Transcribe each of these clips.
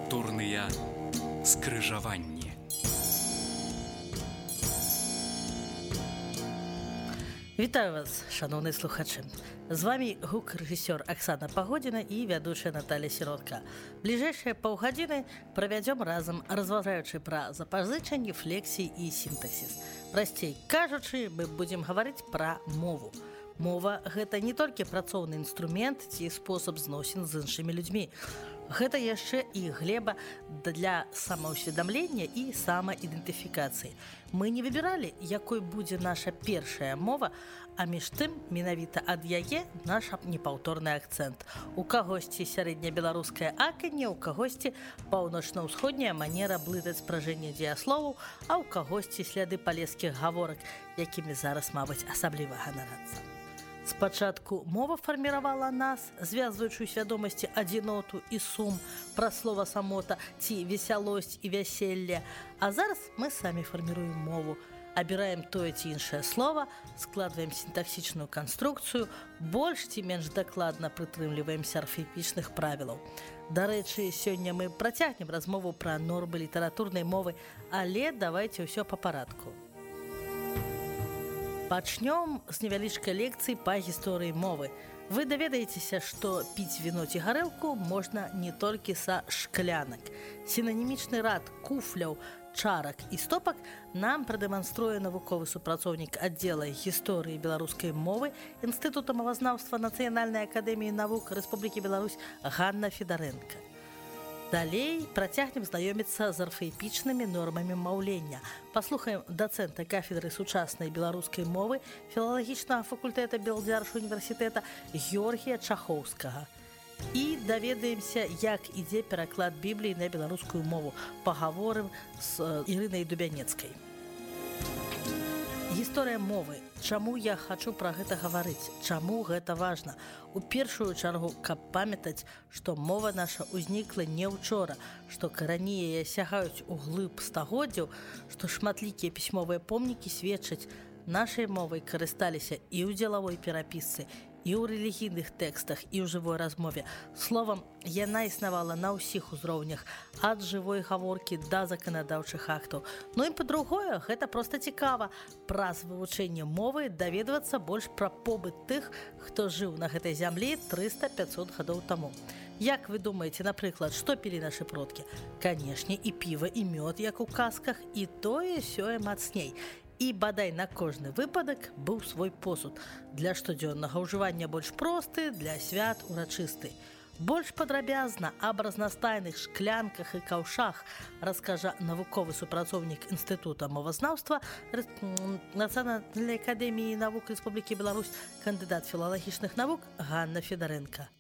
Культурныя скрыжаванні. Вітаю вас, шановныя слухачы. З вами гук-рэжысёр Аксана Пагодзіна і вядучая Наталья Сіротка. Бліжэйшыя паўгадзіны правядзём разам, разважаючы пра запазычанні, флексіі і сінтаксіс. Прасцей кажучы, мы будзем гаварыць пра мову. Мова – гэта не толькі працоўны інструмент ці спосаб зносін з іншымі людзьмі. Гэта яшчэ і глеба для самаўсведамлення і самаідэнтыфікацыі. Мы не выбіралі, якой будзе наша першая мова, а між тым менавіта ад яе наш непаўторны акцэнт. У кагосьці сярэднебеларускае аканне, у кагосьці паўночна-ўсходняя манера блытаць спражэнне дзеясловаў, а ў кагосьці сляды палескіх гаворак, якімі зараз, мабыць, асабліва ганарацца. Спачатку мова фарміравала нас, звязваючы ў свядомасці адзіноту і сум, пра слова самота ці весялосць і вяселле. А зараз мы самі фарміруем мову. Абіраем тое ці іншае слова, складваем сінтаксічную канструкцыю, больш ці менш дакладна прытрымліваемся арфаіпічных правілаў. Дарэчы, сёння мы працягнем размову пра нормы літаратурнай мовы, але давайце ўсё па парадку. Пачнём з невялічкай лекцыі па гісторыі мовы. Вы даведаецеся, што піць віно ці гарэлку можна не толькі са шклянак. Сінанімічны рад куфляў, чарак і стопак нам прадэманструе навуковы супрацоўнік аддзела гісторыі беларускай мовы Інстытута мовазнаўства Нацыянальнай акадэміі навук Рэспублікі Беларусь Ганна Федарэнка. Далей працягнем знаёміцца з арфаіпічнымі нормамі маўлення. Паслухаем дацэнта кафедры сучаснай беларускай мовы філалагічнага факультэта Белдзяржскага універсітэта Георгія Чахоўскага. І даведаемся, як ідзе пераклад Бібліі на беларускую мову. Пагаворым з Ірынай Дубянецкай. Гісторыя мовы. Чаму я хачу пра гэта гаварыць? Чаму гэта важна? У першую чаргу, каб памятаць, што мова наша ўзнікла не ўчора, што карані яе сягаюць у глыб стагоддзяў, што шматлікія пісьмовыя помнікі сведчаць, нашай мовай карысталіся і ў дзелавой перапісцы, і ў рэлігійных тэкстах, і ў жывой размове. Словам, яна існавала на ўсіх узроўнях, ад жывой гаворкі да заканадаўчых актаў. Ну і па-другое, гэта проста цікава. Праз вывучэнне мовы даведвацца больш пра побыт тых, хто жыў на гэтай зямлі 300-500 гадоў таму. Як вы думаеце, напрыклад, што пілі нашы продкі? Канешне, і піва, і мёд, як у казках, і тое-сёе мацней. І бадай на кожны выпадак быў свой посуд. Для штодзённага ўжывання больш просты, для свят урачысты. Больш падрабязна аб разнастайных шклянках і каўшах раскажа навуковы супрацоўнік Інстытута мовазнаўства Нацыянальнай акадэміі навук Рэспублікі Беларусь, кандыдат філалагічных навук Ганна Федарэнка.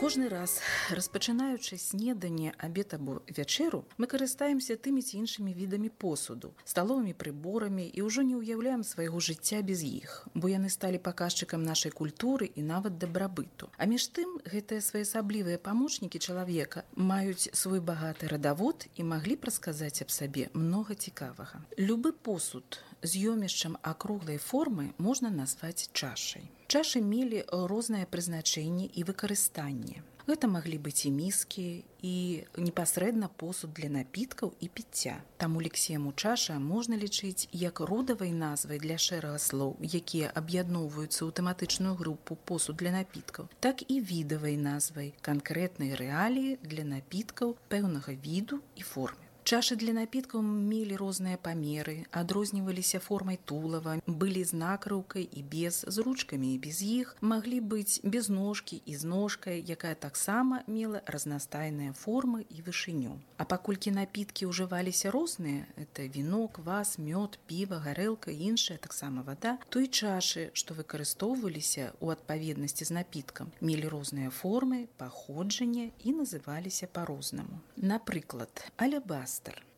Кожны раз, распачынаючы снеданне, абед або вячэру, мы карыстаемся тымі ці іншымі відамі посуду, сталовымі прыборамі і ўжо не ўяўляем свайго жыцця без іх, бо яны сталі паказчыкам нашай культуры і нават дабрабыту. А між тым, гэтыя своеасаблівыя памочнікі чалавека маюць свой багаты радавод і маглі б расказаць аб сабе многа цікавага. Любы посуд з ёмішчам акруглай формы можна назваць чашай. Чашы мелі рознае прызначэнне і выкарыстанне. Гэта маглі быць і міскі, і непасрэдна посуд для напіткаў і піцця. Таму лексему чаша можна лічыць як родавай назвай для шэрага слоў, якія аб'ядноўваюцца ў тэматычную групу посуд для напіткаў, так і відавай назвай канкрэтнай рэаліі для напіткаў пэўнага віду і формы. Чашы для напіткаў мелі розныя памеры, адрозніваліся формай тулава, былі з накрыўкай і без, з ручкамі і без іх, маглі быць без ножкі і з ножкай, якая таксама мела разнастайныя формы і вышыню. А паколькі напіткі ўжываліся розныя, это віно, квас, мёд, піва, гарэлка і іншая таксама вада, то і чашы, што выкарыстоўваліся ў адпаведнасці з напіткам, мелі розныя формы, паходжанне і называліся па-рознаму. Напрыклад, алебастр.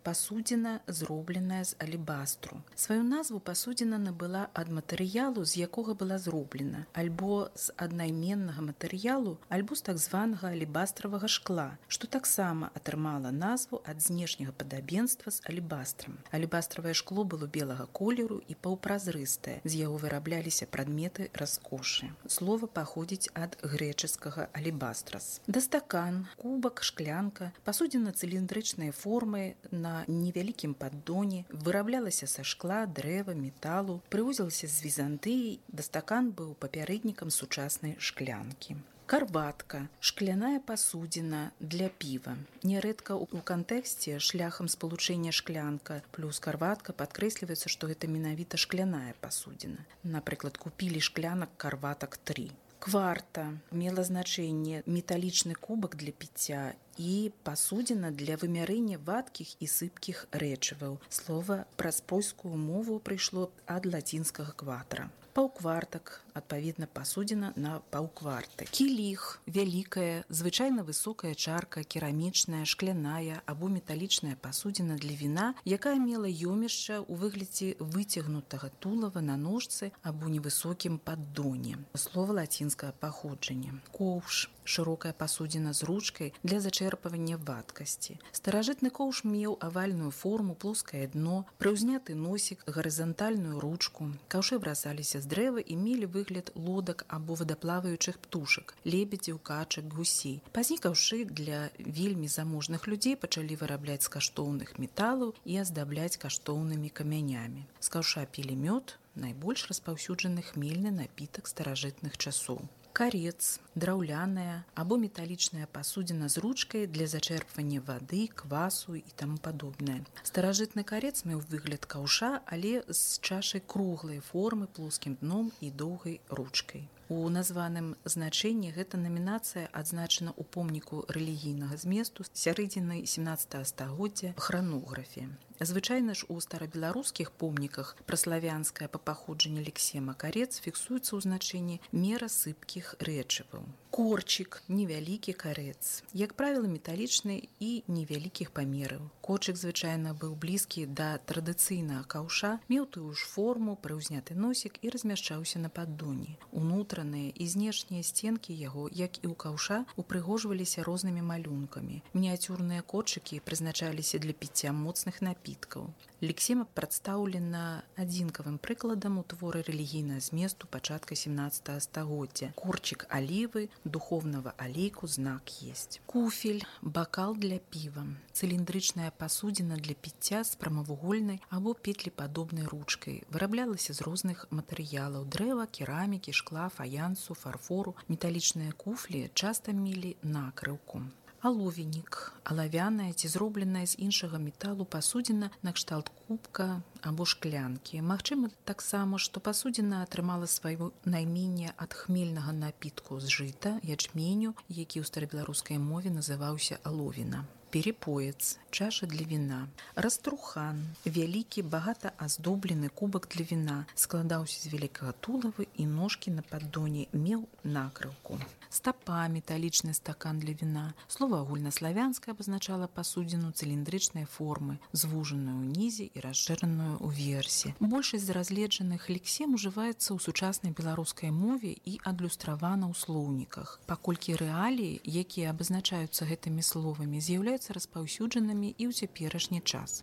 пасудзіна, зробленая з алебастру. Сваю назву пасудзіна набыла ад матэрыялу, з якога была зроблена, альбо з аднайменнага матэрыялу, альбо з так званага алебастравага шкла, што таксама атрымала назву ад знешняга падабенства з алебастрам. Алебастравае шкло было белага колеру і паўпразрыстае, з яго вырабляліся прадметы раскошы. Слова паходзіць ад грэчаскага алебастрас. Дастакан, кубак, шклянка, пасудзіна цыліндрычнай формы на невялікім паддоне, выраблялася са шкла, дрэва, металу, прывозілася з Візантыі, дастакан быў папярэднікам сучаснай шклянкі. Карбатка – шкляная пасудзіна для піва. Нярэдка ў кантэксце шляхам спалучэння шклянка плюс карбатка падкрэсліваецца, што гэта менавіта шкляная пасудзіна. Напрыклад, купілі шклянак карбатак 3. Кварта мела значэнне металічны кубак для піцця і пасудзіна для вымярэння вадкіх і сыпкіх рэчываў. Слова праз польскую мову прыйшло ад лацінскага кватра. Паўквартак, адпаведна, пасудзіна на паўкварты. Кіліх – вялікая, звычайна высокая чарка, керамічная, шкляная або металічная пасудзіна для віна, якая мела ёмішча ў выглядзе выцягнутага тулава на ножцы або невысокім паддоне. Слова лацінскага паходжання. Коўш – шырокая пасудзіна з ручкай для зачэрпвання вадкасці. Старажытны коўш меў авальную форму, плоскае дно, прыўзняты носік, гарызантальную ручку. Каўшы брасаліся з дрэва і мелі выгляд лодак або вадаплаваючых птушак, лебедзяў, качак, гусей. Пазней каўшы для вельмі заможных людзей пачалі вырабляць з каштоўных металаў і аздабляць каштоўнымі камянямі. З каўша пілі мёд, найбольш распаўсюджаны хмельны напітак старажытных часоў. Карец – драўляная або металічная пасудзіна з ручкай для зачэрпвання вады, квасу і таму падобнае. Старажытны карец меў выгляд каўша, але з чашай круглай формы, плоскім дном і доўгай ручкай. У названым значэнні гэта намінацыя адзначана ў помніку рэлігійнага зместу сярэдзіны 17 стагоддзя хранографе. Звычайна ж у старабеларускіх помніках праславянская па паходжанні лексема карец фіксуецца ў значэнні мера сыпкіх рэчываў. Корчик – невялікі карец. Як правіла, металічны і невялікіх памераў. Корчик звычайна быў блізкі да традыцыйнага каўша, меў тую ж форму, прыўзняты носік і размяшчаўся на паддоне. Унутраныя і знешнія сценкі яго, як і ў каўша, упрыгожваліся рознымі малюнкамі. Мініяцюрныя корчыкі прызначаліся для піцця моцных напіткаў. Лексема прадстаўлена адзінкавым прыкладам у творы рэлігійнага зместу пачатка 17 стагоддзя. Корчик алівы, духовного алейку знак есть. Куфель – бакал для піва. Цыліндрычная пасудзіна для піцця з прамавугольнай або петлепадобнай ручкай. Выраблялася з розных матэрыялаў – дрэва, керамікі, шкла, фаянсу, фарфору. Металічныя куфлі часта мелі накрыўку. Аловенік – алавяная ці зробленая з іншага металу пасудзіна накшталт кубка або шклянкі. Магчыма таксама, што пасудзіна атрымала сваё найменне ад хмельнага напітку з жыта, ячменю, які ў старабеларускай мове называўся аловіна. Перепоец – чаша для віна. Раструхан – вялікі, багата аздоблены кубак для віна. Складаўся з вялікага тулавы і ножкі на паддоне, меў накрыўку. Стапа – металічны стакан для віна. Слова агульнаславянскае абазначала пасудзіну цыліндрычнай формы, звужаную ўнізе і расшыраную ўверсе. Большасць з разгледжаных лексем ужываецца ў сучаснай беларускай мове і адлюстравана ў слоўніках. Паколькі рэаліі, якія абазначаюцца гэтымі словамі, з'яўляюцца распаўсюджанымі і ў цяперашні час.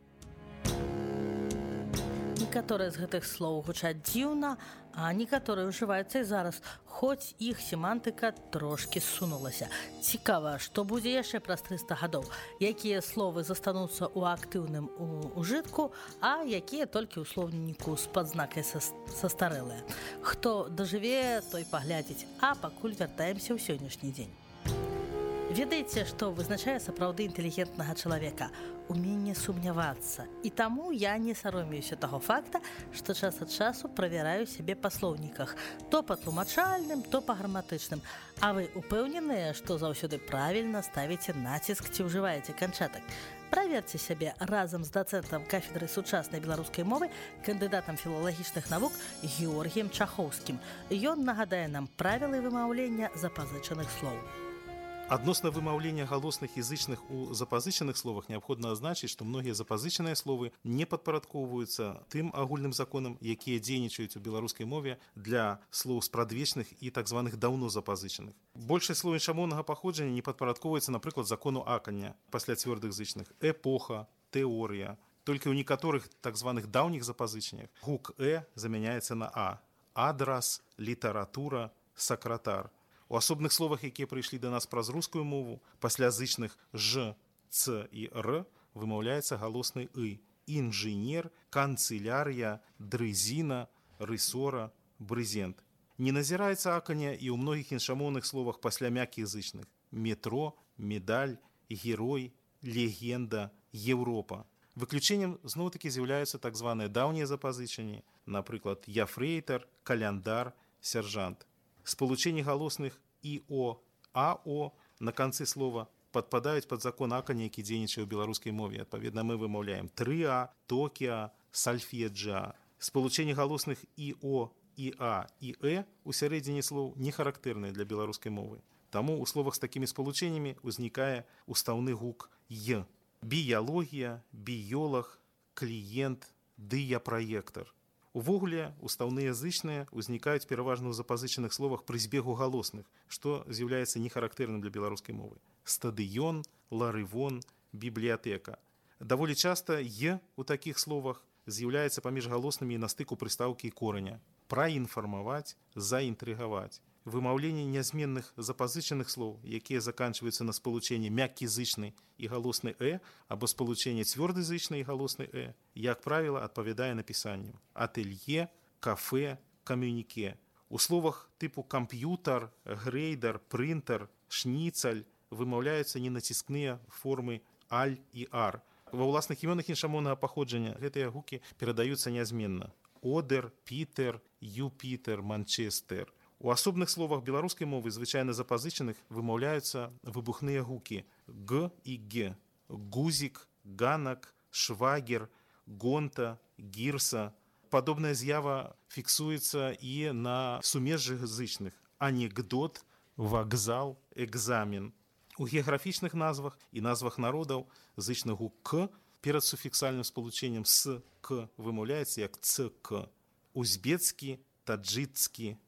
Некаторыя з гэтых слоў гучаць дзіўна, а некаторыя ўжываюцца і зараз, хоць іх семантыка трошкі ссунулася. Цікава, што будзе яшчэ праз 300 гадоў, якія словы застануцца ў актыўным ужытку, а якія толькі ў слоўніку з падзнакай састарэлыя. Хто дажыве, той паглядзіць, а пакуль вяртаемся ў сённяшні дзень. Ведаеце, што вызначае сапраўды інтэлігентнага чалавека? Уменне сумнявацца. І таму я не саромеюся таго факта, што час ад часу правяраю сябе па слоўніках. То па тлумачальным, то па граматычным. А вы упэўненыя, што заўсёды правільна ставіце націск ці ўжываеце канчатак? Праверце сябе разам з дацэнтам кафедры сучаснай беларускай мовы, кандыдатам філалагічных навук Георгіем Чахоўскім. Ён нагадае нам правілы вымаўлення запазычаных слоў. Адносна вымаўлення галосных і зычных у запазычаных словах неабходна азначыць, што многія запазычаныя словы не падпарадкоўваюцца тым агульным законам, якія дзейнічаюць у беларускай мове для слоў спрадвечных і так званых даўно запазычаных. Большасць слоў іншамоўнага паходжання не падпарадкоўваецца, напрыклад, закону акання пасля цвёрдых зычных, эпоха, тэорыя. Толькі ў некаторых так званых даўніх запазычаннях гук замяняецца на а. Адрас, літаратура, сакратар. У асобных словах, якія прыйшлі да нас праз рускую мову, пасля зычных ж, ц і р вымаўляецца галосны ы. Інжынер, канцылярія, дрызіна, рысора, брызент. Не назіраецца акання і ў многіх іншамоўных словах пасля мяккіх зычных. Метро, медаль, герой, легенда, Еўропа. Выключэннем зноў-такі з'яўляюцца так званыя даўнія запазычанні, напрыклад, яфрэйтар, каляндар, сяржант. Спалучэнні галосных ІО, АО на канцы слова падпадаюць пад закон акання, які дзейнічае ў беларускай мове. Адпаведна, мы вымаўляем 3А, Токіа, сальфеджа. Спалучэнні галосных ІО, ІА і у сярэдзіне слоў не характэрныя для беларускай мовы. Таму ў словах з такімі спалучэннямі ўзнікае устаўны гук Й. Біялогія, біёлаг, кліент, дыяпраектар. Увогуле, устаўныя зычныя ўзнікаюць пераважна ў запазычаных словах пры збегу галосных, што з'яўляецца нехарактэрным для беларускай мовы. Стадыён, ларывон, бібліятэка. Даволі часта «е» у такіх словах з'яўляецца паміж галоснымі і на стыку прыстаўкі і кораня. Праінфармаваць, заінтрыгаваць. Вымаўленне нязменных запазычаных слоў, якія заканчваюцца на спалучэнні мяккі зычны і галосны або спалучэнне цвёрды зычны і галосны як правіла, адпавядае напісанню. Атэлье, кафе, камюніке. У словах тыпу камп'ютар, грэйдар, прынтер, шніцаль вымаўляюцца ненаціскныя формы аль і ар. Ва ўласных імёнах іншамоўнага паходжання гэтыя гукі перадаюцца нязменна. Одер, Пітер, Юпітер, Манчестер. У асобных словах беларускай мовы, звычайна запазычаных, вымаўляюцца выбухныя гукі г і ге. Гузік, ганак, швагер, гонта, гірса. Падобная з'ява фіксуецца і на сумежжах зычных. Анекдот, вакзал, экзамен. У геаграфічных назвах і назвах народаў зычны гук к перад суфіксальным спалучэннем с к вымаўляецца як цк. Узбецкі, таджыцкі.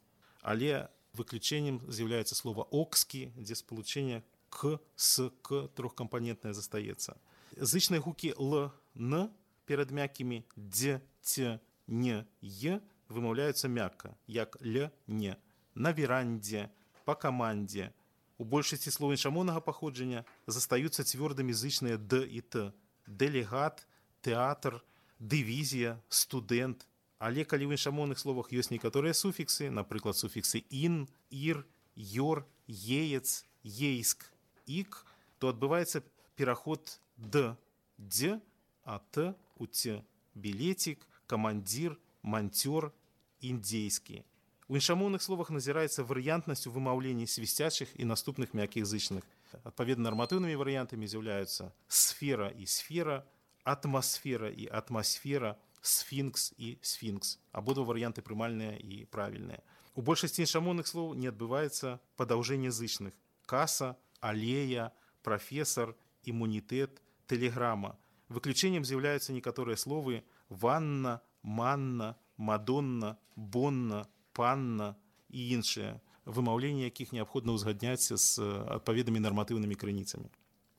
Але выключэннем з'яўляецца слова «окскі», дзе спалучэнне «к», «с», «к» трохкампанентнае застаецца. Зычныя гукі «л», «н» перад мяккімі «дз», «ц», «н», «е» вымаўляюцца мякка, як «л», «не». На верандзе, па камандзе. У большасці слоў іншамоўнага паходжання застаюцца цвёрдымі зычныя «д» і «т». Дэлегат, тэатр, дывізія, студэнт. Але калі ў іншамоўных словах ёсць некаторыя суфіксы, напрыклад, суфіксы «ін», «ір», «ёр», «еец», «ейск», «ік», то адбываецца пераход «д», «дз», а «т» у «ц». Білетик, камандзір, манцёр, індзейскі. У іншамоўных словах назіраецца варыянтнасць у вымаўленні свісцячых і наступных мяккіх зычных. Адпаведна, нарматыўнымі варыянтамі з'яўляюцца сфера і сфера, атмасфера і атмасфера, сфінкс і сфінкс. Абодва варыянты прымальныя і правільныя. У большасці іншамоўных слоў не адбываецца падаўжэнне зычных. Каса, алея, прафесар, імунітэт, тэлеграма. Выключэннем з'яўляюцца некаторыя словы ванна, манна, мадонна, бонна, панна і іншыя, вымаўленне якіх неабходна ўзгадняць з адпаведнымі нарматыўнымі крыніцамі.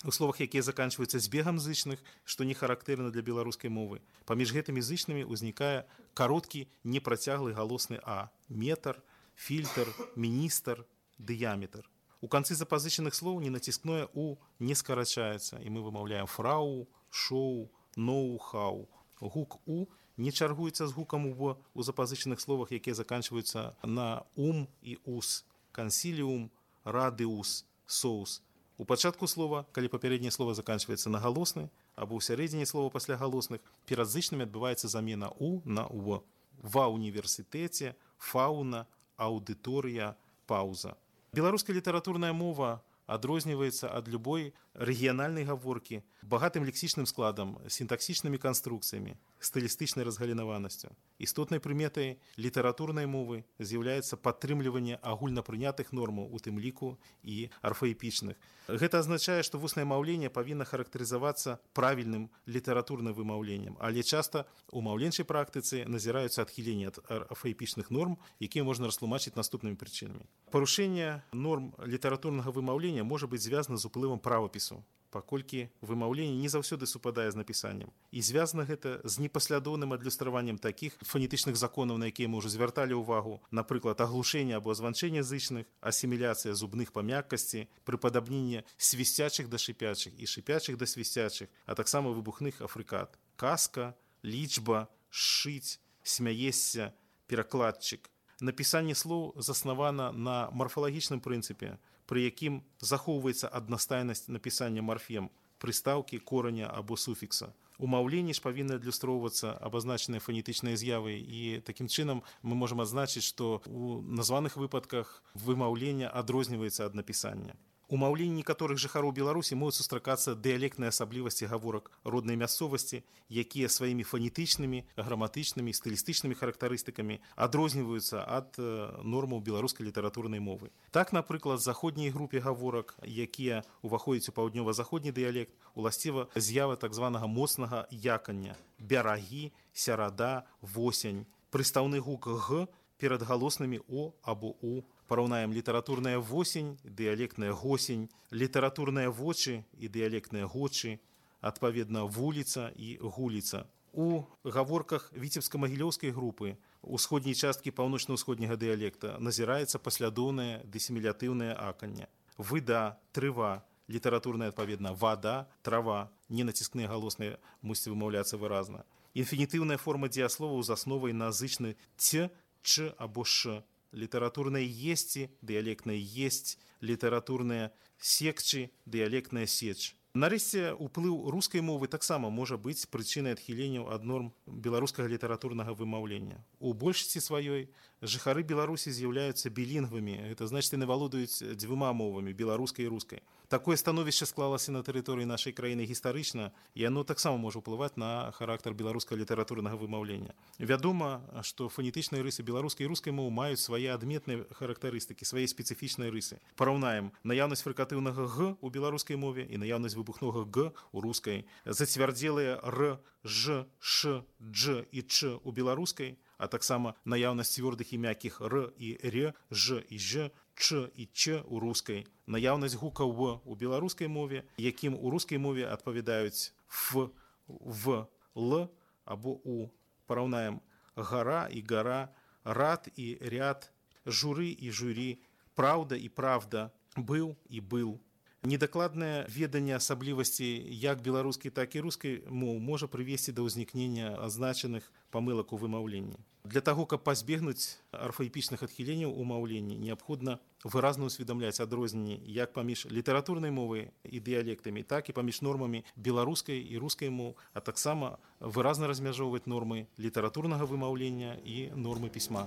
У словах, якія заканчваюцца збегам зычных, што не характэрна для беларускай мовы, паміж гэтымі зычнымі ўзнікае кароткі непрацяглы галосны а. Метр, фільтр, міністр, дыяметр. У канцы запазычаных слоў ненаціскное у не скарачаецца, і мы вымаўляем фрау, шоу, ноу-хау. Гук у не чаргуецца з гукам у запазычаных словах, якія заканчваюцца на ум і ус. Кансіліум, радыус, соус. У пачатку слова, калі папярэдняе слова заканчваецца на галосны, або ў сярэдзіне слова пасля галосных, перад зычнымі адбываецца замена у на у. Ва універсітэце, фауна, аўдыторыя, паўза. Беларуская літаратурная мова адрозніваецца ад любой рэгіянальнай гаворкі багатым лексічным складам, сінтаксічнымі канструкцыямі, стылістычнай разгалінаванасцю. Істотнай прыметай літаратурнай мовы з'яўляецца падтрымліванне агульнапрынятых нормаў, у тым ліку і арфаэпічных. Гэта азначае, што вуснае маўленне павінна характарызавацца правільным літаратурным вымаўленнем, але часта у маўленчай практыцы назіраюцца адхіленні ад арфаэпічных норм, якія можна растлумачыць наступнымі прычынамі. Парушэнне норм літаратурнага вымаўлення можа быць звязана з уплывам правапісу, паколькі вымаўленне не заўсёды супадае з напісаннем. І звязана гэта з непаслядоўным адлюстраваннем такіх фанетычных законаў, на якія мы ўжо звярталі ўвагу, напрыклад, аглушэнне або званчэнне зычных, асіміляцыя зубных па мяккасці, прыпадабненне свісцячых да шыпячых і шыпячых да свісцячых, а таксама выбухных афрыкат. Казка, лічба, шыць, смяесся, перакладчык. Напісанне слоў заснавана на марфалагічным прынцыпе, пры якім захоўваецца аднастайнасць напісання марфем, прыстаўкі, кораня або суфікса. У маўленні ж павінны адлюстроўвацца абазначаныя фанетычныя з'явы, і такім чынам мы можам адзначыць, што ў названых выпадках вымаўленне адрозніваецца ад напісання. У маўленні некаторых жыхароў Беларусі могуць сустракацца дыялектныя асаблівасці гаворак роднай мясцовасці, якія сваімі фанетычнымі, граматычнымі, стылістычнымі характарыстыкамі адрозніваюцца ад нормаў беларускай літаратурнай мовы. Так, напрыклад, заходняй групе гаворак, якія ўваходзяць у паўднёва-заходні дыялект, уласціва з'ява так званага моцнага якання, бярагі, сярада, восень, прыстаўны гук г перад галоснымі о або у. Параўнаем літаратурная восень, дыялектная госень, літаратурныя вочы і дыялектныя гочы, адпаведна вуліца і гуліца. У гаворках віцебска-магілёўскай групы ўсходняй часткі паўночна-ўсходняга дыялекта назіраецца паслядоўнае дысімілятыўнае аканне. Выда, трыва, літаратурная адпаведна вада, трава, ненаціскныя галосныя мусяць вымаўляцца выразна. Інфінітыўная форма дзеясловаў з асновай на зычны ц, ч або ш. Літаратурнае есці, дыялектнае есць, літаратурнае секчы, дыялектная сеч. Нарэшце, уплыў рускай мовы таксама можа быць прычынай адхіленняў ад норм беларускага літаратурнага вымаўлення. У большасці сваёй жыхары Беларусі з'яўляюцца білінгвамі, гэта значыць, яны валодаюць дзвюма мовамі, беларускай і рускай. Такое становішча склалася на тэрыторыі нашай краіны гістарычна, і яно таксама можа ўплываць на характар беларускага літаратурнага вымаўлення. Вядома, што фанетычныя рысы беларускай і рускай моў маюць свае адметныя характарыстыкі, свае спецыфічныя рысы. Параўнаем наяўнасць фрыкатыўнага г у беларускай мове і наяўнасць выбухнога г у рускай, зацвярдзелыя р, ж, ш, дж і ч у беларускай, а таксама наяўнасць цвёрдых і мяккіх р і р, ж і ж, ч і ч у рускай, наяўнасць гукаў в у беларускай мове, якім у рускай мове адпавядаюць ф, в, л або у. Параўнаем гара і гара, рад і ряд, журы і журі, праўда і правда, быў і был. Недакладнае веданне асаблівасцей як беларускай, так і рускай моў можа прывесці да ўзнікнення азначаных памылак у вымаўленні. Для таго, каб пазбегнуць арфаэпічных адхіленняў у маўленні, неабходна выразна ўсведамляць адрозненні як паміж літаратурнай мовай і дыялектамі, так і паміж нормамі беларускай і рускай моў, а таксама выразна размяжоўваць нормы літаратурнага вымаўлення і нормы пісьма.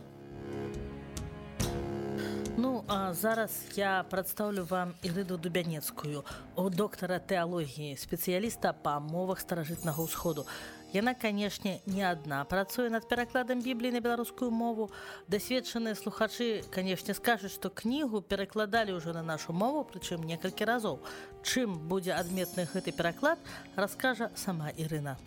Ну, а зараз я прадстаўлю вам Ірыну Дубянецкую, доктара тэалогіі, спецыяліста па мовах старажытнага ўсходу. Яна, канешне, не адна працуе над перакладам Бібліі на беларускую мову. Дасведчаныя слухачы, канешне, скажуць, што кнігу перакладалі ўжо на нашу мову, прычым некалькі разоў. Чым будзе адметны гэты пераклад, раскажа сама Ірына.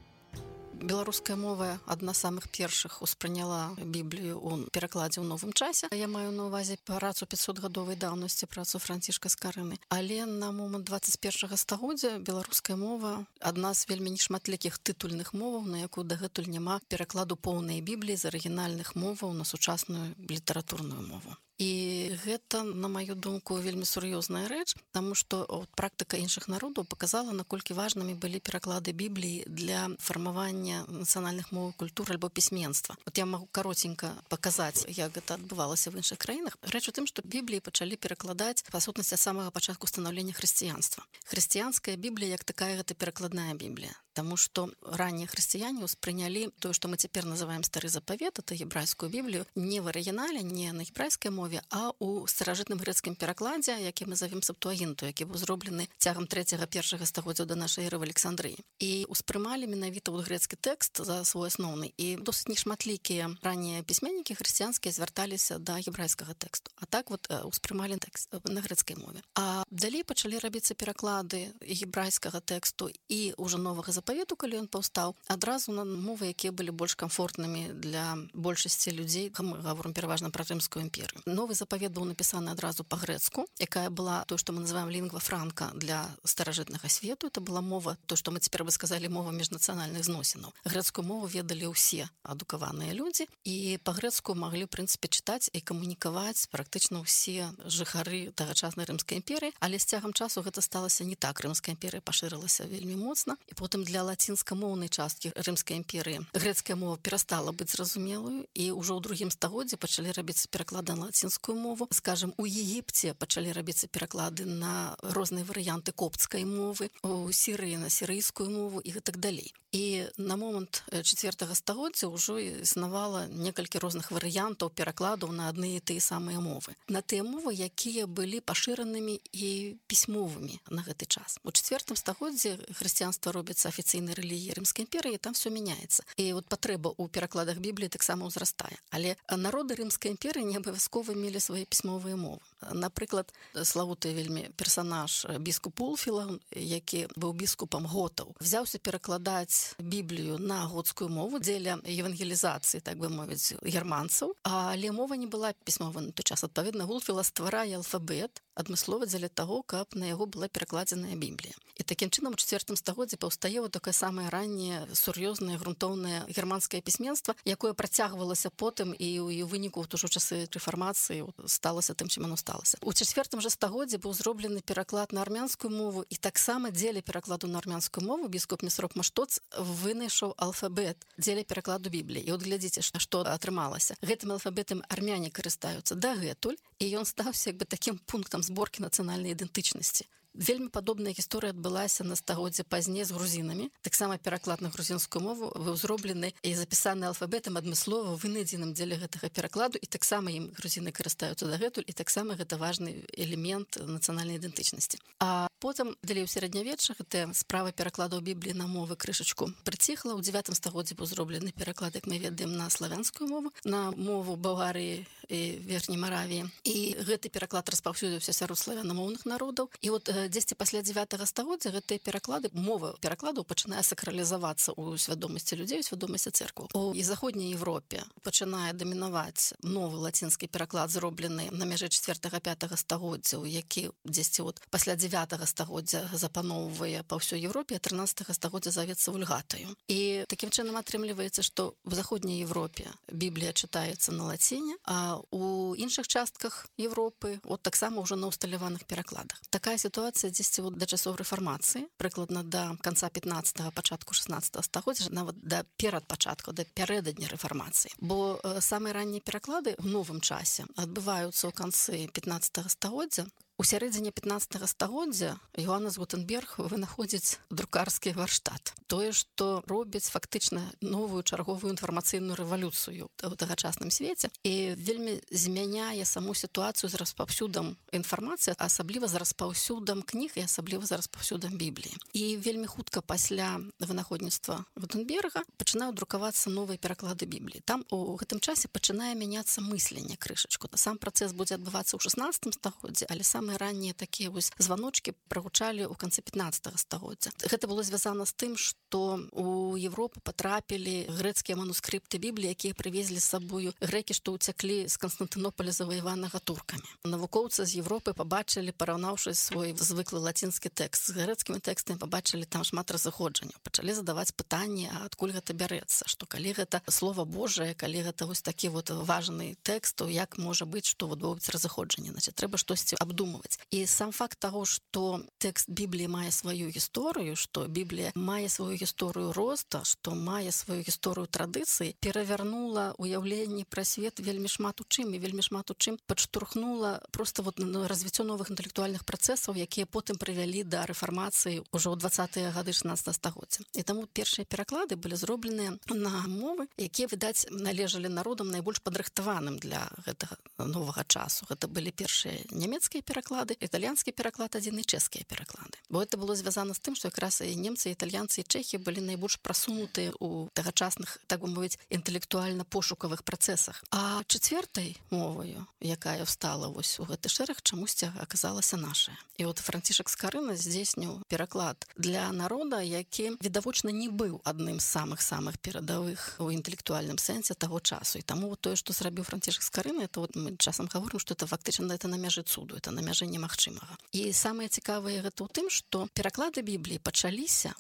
Беларуская мова адна з самых першых успрыняла Біблію ў перакладзе ў новым часе. Я маю на ўвазе працу 500-гадовай даўнасці, працу Францішка Скарыны. Але на момант 21 стагоддзя беларуская мова адна з вельмі нешматлікіх тытульных моваў, на якую дагэтуль няма перакладу поўнай Бібліі з арыгінальных моваў на сучасную літаратурную мову. І гэта, на маю думку, вельмі сур'ёзная рэч, таму што практыка іншых народаў паказала, наколькі важнымі былі пераклады Бібліі для фармавання нацыянальных моў, культур альбо пісьменства. Я магу каротенька паказаць, як гэта адбывалася в іншых краінах. Рэч у тым, што Бібліі пачалі перакладаць па сутнасці ад самага пачатку станаўлення хрысціянства. Хрысціянская Біблія, як такая, гэта перакладная Біблія. Таму што раннія хрысціяне ўспрынялі тое, што мы цяпер называем стары запавет, это гебрайскую біблію, не в арыгінале, не на гебрайскай мове, а ў старажытным грэцкім перакладзе, які мы завем Септуагінту, які быў зроблены цягам 3-1 стагоддзя да нашай эры в Александрыі. І ўспрымалі менавіта ў грэцкі тэкст за свой асноўны. І досыць нешматлікія раннія пісьменнікі хрысціянскія звярталіся да гебрайскага тэксту. А так вот ўспрымалі тэкст на грэцкай мове. А далей пачалі рабіцца пераклады гебрайскага тэксту і ўжо новага запавету, калі ён паўстаў, адразу на мовы, якія былі больш камфортнымі для большасці людзей. Мы гаворым пераважна пра Рымскую імперію. Новы запавет быў напісаны адразу па-грэцку, якая была то, што мы называем лінгва франка для старажытнага свету. Это была мова, то, што мы цяпер бы сказалі, мова міжнацыянальных зносінаў. Грэцкую мову ведалі ўсе адукаваныя людзі, і па-грэцку маглі, в прынцыпе, чытаць і камунікаваць практычна ўсе жыхары тагачаснай Рымскай імперыі, але з цягам часу гэта сталася не так. Рымская імперыя пашырылася вельмі моцна, і потым для лацінскамоўнай часткі Рымскай імперыі грэцкая мова перастала быць зразумелую, і ўжо ў другім стагоддзі пачалі рабіцца пераклады на лацінскую мову. Скажем, у Егіпце пачалі рабіцца пераклады на розныя варыянты копцкай мовы, у Сірыі на сірыйскую мову і гэтак далей. І на момант 4 стагоддзя ўжо існавала некалькі розных варыянтаў перакладаў на адны і тыя самыя мовы. На тыя мовы, якія былі пашыранымі і пісьмовымі на гэты час. У 4 стагоддзі хрысціянства робіцца афіцыйнай рэлігіяй Рымскай імперыі, і там все мяняецца. І вот патрэба ў перакладах Бібліі таксама ўзрастае. Але народы Рымскай імперыі не абавязкова мелі свае пісьмовыя мовы. Напрыклад, славуты вельмі персанаж біскуп Улфіла, які быў біскупам готаў, взяўся перакладаць Біблію на готскую мову дзеля евангелізацыі, так бы мовіць, германцаў, але мова не была пісьмовая на той час. Адпаведна, Улфіла стварае алфабет адмыслова дзеля таго, каб на яго была перакладзеная Біблія. І такім чынам у 4 стагоддзі паўстае вот такое самае ранняе, сур'ёзнае, грунтоўнае германскае пісьменства, якое працягвалася потым і ў выніку ўжо часы рэфармацыі сталася тым, чым оно сталася. У 4 же стагоддзі быў зроблены пераклад на армянскую мову, і таксама дзеля перакладу на армянскую мову біскуп Месрок Маштоц вынайшаў алфабет дзеля перакладу Бібліі. І от глядзіце, што атрымалася. Гэтым алфабетам армяне карыстаюцца дагэтуль, і ён стаўся як бы такім пунктам зборкі нацыянальнай ідэнтычнасці. Вельмі падобная гісторыя адбылася на стагоддзе пазней з грузінамі. Таксама пераклад на грузінскую мову быў зроблены і запісаны алфабетам адмыслова вынайдзеным дзеля гэтага перакладу, і таксама ім грузіны карыстаюцца дагэтуль, і таксама гэта важны элемент нацыянальнай ідэнтычнасці. А потым далей у сярэднявечча гэта справа перакладаў Бібліі на мовы крышачку прыціхла. У 9 стагоддзі быў зроблены пераклад, як мы ведаем, на славянскую мову, на мову Балгарыі і Верхняй Маравіі. І гэты пераклад распаўсюдзіўся сярод славянамоўных народаў. І от дзесьці пасля 9 стагоддзя гэтыя пераклады, мова перакладаў пачынае сакралізавацца ў свядомасці людзей, у свядомасці цэркваў. У заходняй Европе пачынае дамінаваць новы лацінскі пераклад, зроблены на мяжы 4-5 стагоддзяў, які дзесьці от пасля 9 стагоддзя запаноўвае па ўсёй Европе, а 13 стагоддзя завецца вульгатаю. І такім чынам атрымліваецца, што в заходняй Европе Біблія чытаецца на лаціне, а у іншых частках Европы от таксама ўжо на усталяваных перакладах. Такая сітуацыя дзесьці да часоў рэфармацыі, прыкладна да канца 15-го, пачатку 16 стагоддзя, нават да перад пачатку, да пярэдадні рэфармацыі. Бо самыя раннія пераклады ў новым часе адбываюцца ў канцы 15 стагоддзя. У сярэдзіне 15 стагоддзя Йоаннес Гутенберг вынаходзіць друкарскі варштат. Тое, што робіць фактычна новую чарговую інфармацыйную рэвалюцыю ў тагачасным свеце і вельмі змяняе саму сітуацыю з распаўсюдам інфармацыі, асабліва з распаўсюдам кніг і асабліва з распаўсюдам Бібліі. І вельмі хутка пасля вынаходніцтва Гутенберга пачынаюць друкавацца новыя пераклады Бібліі. Там у гэтым часе пачынае мяняцца мысленне крышачку. Сам працэс будзе адбывацца ў 16 стагоддзі, але самыя раннія такія вось званочкі прагучалі ў канцы 15 стагоддзя. Гэта было звязана з тым, што у Европу патрапілі грэцкія манускрыпты Бібліі, якія прывезлі з сабою грэкі, што ўцяклі з Канстантынополя заваяванага туркамі. Навукоўцы з Европы пабачылі, параўнаўшы свой звыклы лацінскі тэкст з грэцкімі тэкстамі, пабачылі там шмат разыходжанняў. Пачалі задаваць пытанні, а адкуль гэта бярэцца, што калі гэта слова Божае, калі гэта вось такі вот важны тэкст, то як можа быць, што вот будуць разыходжанні? Значит, трэба штосьці абдумваць. атрымоўваць. І сам факт таго, што тэкст Бібліі мае сваю гісторыю, што Біблія мае сваю гісторыю роста, што мае сваю гісторыю традыцыі, перавярнула ўяўленне пра свет вельмі шмат у чым, і вельмі шмат у чым падштурхнула проста развіццё новых інтэлектуальных працэсаў, якія потым прывялі да рэфармацыі ўжо ў 20-е гады 16 стагоддзя. І таму першыя пераклады былі зробленыя на мовы, якія, відаць, належалі народам найбольш падрыхтаваным для гэтага новага часу. Гэта былі першыя нямецкія пераклады, італьянскі пераклад адзін і чэшскія пераклады. Бо гэта было звязана з тым, што якраз і немцы, італьянцы і чэхі былі найбольш прасунутыя ў тагачасных, так бы мовіць, інтэлектуальна-пошукавых працэсах. А чацвёртай моваю, якая встала вось у гэты шэраг, чамусьці аказалася наша. І от Францішак Скарына здзейсніў пераклад для народа, які відавочна не быў адным з самых перадавых у інтэлектуальным сэнсе таго часу. І таму тое, што зрабіў Францішак Скарына, это вот мы часам гаворым, што это фактычна это на мяжы цуду, это на мяжы немагчымага. І самае цікавае гэта ў тым, што пераклады Бібліі пачаліся,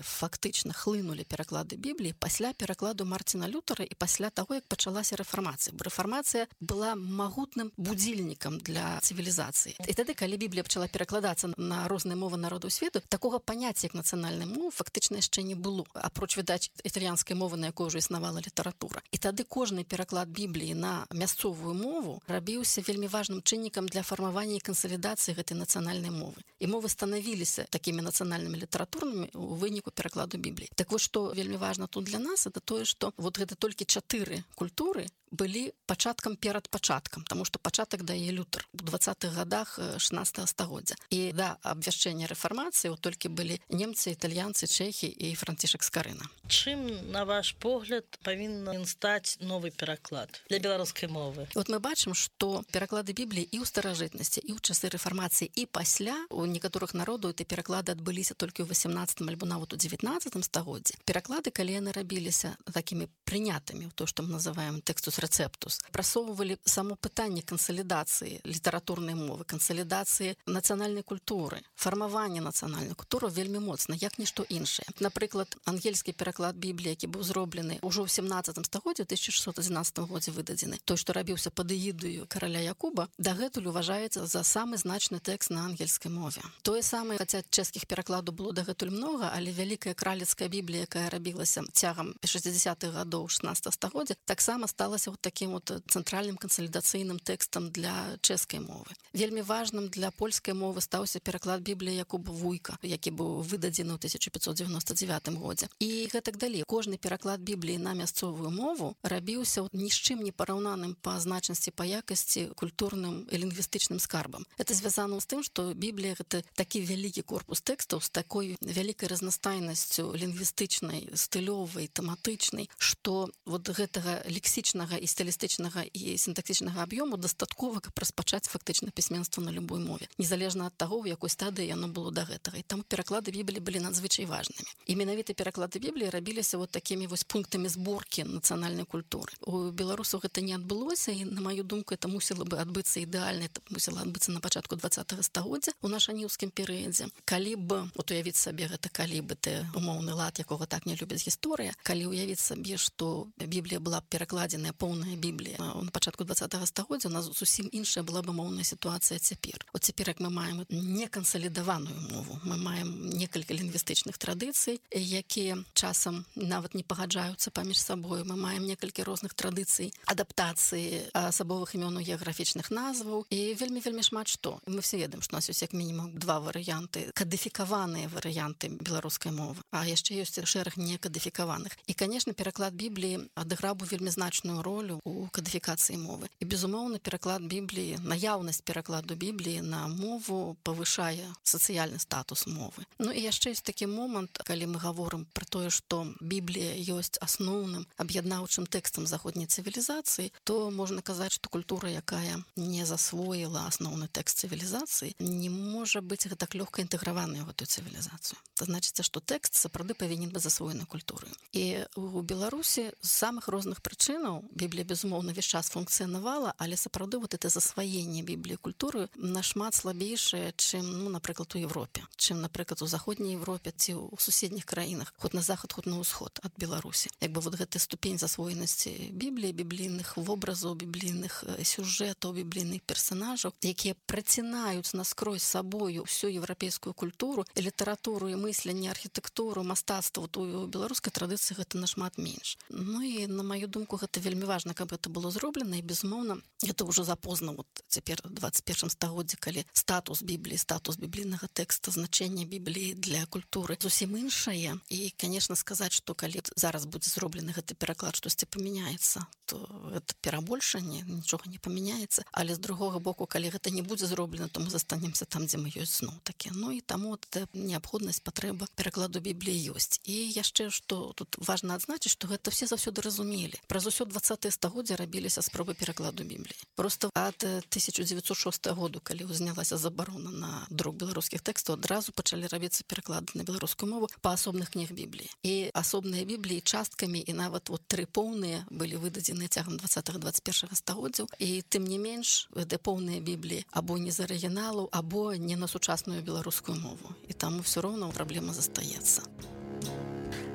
фактычна хлынулі пераклады Бібліі пасля перакладу Мартина Лютера і пасля таго, як пачалася рэфармацыя. Бо рэфармацыя была магутным будзільнікам для цывілізацыі. І тады, калі Біблія пачала перакладацца на розныя мовы народаў свету, такога паняцця, як нацыянальная мова, фактычна яшчэ не было. Апроч, відаць, італьянскай мовы, на якой ўжо існавала літаратура. І тады кожны пераклад Бібліі на мясцовую мову рабіўся вельмі важным чыннікам для фармавання і кансалідацыі гэтай нацыянальнай мовы. І мовы станавіліся такімі нацыянальнымі літаратурнымі ў выніку перакладу Бібліі. Так вось, што вельмі важна тут для нас, это тое, што вот гэта толькі 4 культуры былі пачаткам перад пачаткам, таму што пачатак дае Лютер у 20-х гадах 16 стагоддзя. І да абвяшчэння рэфармацыі толькі былі немцы, італьянцы, чэхі і Францішак Скарына. Чым, на ваш погляд, павінен стаць новы пераклад для беларускай мовы? Вот мы бачым, што пераклады Бібліі і ў старажытнасці, і ў часы рэфармацыі, і пасля у некаторых народаў эти пераклады адбыліся толькі ў 18 альбо нават у 19 стагоддзі. Пераклады, калі яны рабіліся такімі прынятымі, то, што мы называем тэкстус рэцэптус, прасоўвалі само пытанне кансалідацыі літаратурнай мовы, кансалідацыі нацыянальнай культуры, фармавання нацыянальнай культуры вельмі моцна, як нішто іншае. Напрыклад, ангельскі пераклад Бібліі, які быў зроблены ўжо ў 17 стагоддзі, 1611 годзе выдадзены, той, што рабіўся пад эгідаю караля Якуба, дагэтуль уважаецца за самы значны тэкст на ангельскай мове. Тое самае, хаця чэшскіх перакладаў было дагэтуль многа, але вялікая кралецкая Біблія, якая рабілася цягам 60-х гадоў 16 стагоддзя, таксама сталася вот таким вот цэнтральным кансалідацыйным тэкстам для чэшскай мовы. Вельмі важным для польскай мовы стаўся пераклад Бібліі Якуба Вуйка, які быў выдадзены ў 1599 годзе. І гэтак далей. Кожны пераклад Бібліі на мясцовую мову рабіўся ні з чым не параўнаным па значнасці, па якасці культурным і лінгвістычным скарбам. Это звязана з тым, што Біблія гэта такі вялікі корпус тэкстаў з такой вялікай разнастайнасцю лінгвістычнай, стылёвай, тэматычнай, што вот гэтага лексічнага і стылістычнага і сінтаксічнага аб'ёму дастаткова, каб распачаць фактычна пісьменства на любой мове, незалежна ад таго, у якой стадыі яно было да гэтага. І там пераклады Бібліі былі надзвычай важнымі. І менавіта пераклады Бібліі рабіліся вот такімі вось пунктамі зборкі нацыянальнай культуры. У беларусаў гэта не адбылося, і, на маю думку, это мусіла бы адбыцца ідэальна, это мусіла адбыцца на пачатку 20-го стагоддзя у нашаніўскім перыядзе. Калі б, от уявіць сабе гэта, калі бы ты умоўны лад, якога так не любіць гісторыя, калі ўявіць сабе, што Біблія была перакладзеная, поўная Біблія на пачатку 20-го стагоддзя, у нас зусім іншая была бы моўная сітуацыя цяпер. От цяпер, як мы маем некансалідаваную мову, мы маем некалькі лінгвістычных традыцый, якія часам нават не пагаджаюцца паміж сабою. Мы маем некалькі розных традыцый, адаптацыі асабовых імёнаў геаграфічных назваў і вельмі шмат што. Мы все ведаем, што у нас ёсць як мінімум 2 варыянты, кадыфікаваныя варыянты беларускай мовы, а яшчэ ёсць шэраг некадыфікаваных. І, канешне, пераклад Бібліі адыграў бы вельмі значную ролю у кадыфікацыі мовы. І, безумоўна, пераклад Бібліі, наяўнасць перакладу Бібліі на мову павышае сацыяльны статус мовы. Ну і яшчэ ёсць такі момант, калі мы гаворым пра тое, што Біблія ёсць асноўным аб'яднаўчым тэкстам заходняй цывілізацыі, то можна казаць, што культура, якая не засвоіла асноўны тэкст цывілізацыі, не можа можа быць гэтак лёгка інтэграваны ў гэтую цывілізацыю. Це значыцца, што тэкст сапраўды павінен быць засвоены культурай. І у Беларусі з самых розных прычынаў Біблія, безумоўна, весь час функцыянавала, але сапраўды вот это засваенне Бібліі культуры нашмат слабейшае, чым, напрыклад, у Европе, чым, напрыклад, у заходняй Европе ці ў суседніх краінах, хоць на захад, хоць на ўсход ад Беларусі. Як бы вот гэта ступень засвоенасці Бібліі, біблійных вобразаў, біблійных сюжэтаў, біблійных персонажаў, якія працінаюць наскрозь сабою всю еўрапейскую культуру, і літаратуру, і мысленне, архітэктуру, мастацтва. У беларускай традыцыі гэта нашмат менш. І, на маю думку, гэта вельмі важна, каб гэта было зроблена, і, безумоўна, гэта ўжо запозна вот цяпер у 21 стагоддзі, калі статус Бібліі, статус біблійнага тэкста, значэнне Бібліі для культуры зусім іншае. І, конечно, сказаць, што калі зараз будзе зроблены гэты пераклад, штосьці памяняецца, то гэта перабольшанне, нічога не памяняецца. Але з другога боку, калі гэта не будзе зроблена, то мы застанемся там, дзе мы ёсць зноў такі. І таму неабходнасць, патрэба перакладу Бібліі ёсць. І яшчэ, што тут важна адзначыць, што гэта все заўсёды разумелі. Праз усё 20-е стагоддзя рабіліся спробы перакладу Бібліі. Просто ад 1906 году, калі узнялася забарона на друк беларускіх тэкстаў, адразу пачалі рабіцца пераклады на беларускую мову па асобных кніг Бібліі. І асобныя Бібліі часткамі, і нават вот 3 поўныя былі выдадзены цягам 20-21 стагоддзяў. І тым не менш, де поўныя Бібліі або не з арыгіналу, або не на сучасную беларускую мову. І таму все роўна праблема застаецца.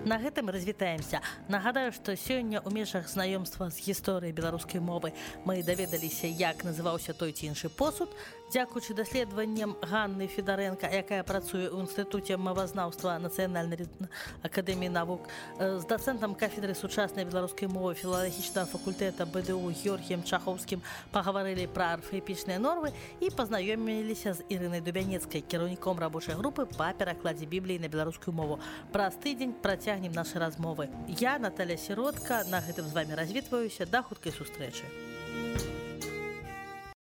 На гэтым развітаемся. Нагадаю, што сёння ў межах знаёмства з гісторыяй беларускай мовы мы даведаліся, як называўся той ці іншы посуд. Дзякуючы даследаванням Ганны Федарэнка, якая працуе ў інстытуце мовазнаўства Нацыянальнай акадэміі навук, з дацэнтам кафедры сучаснай беларускай мовы філалагічнага факультэта БДУ Георгіем Чахоўскім пагаварылі пра арфаэпічныя нормы і пазнаёміліся з Ірынай Дубянецкай, кіраўніком рабочай групы па перакладзе Бібліі на беларускую мову. Праз тыдзень працягнем нашы размовы. Я, Наталя Сіротка, на гэтым з вамі развітваюся. Да хуткай сустрэчы.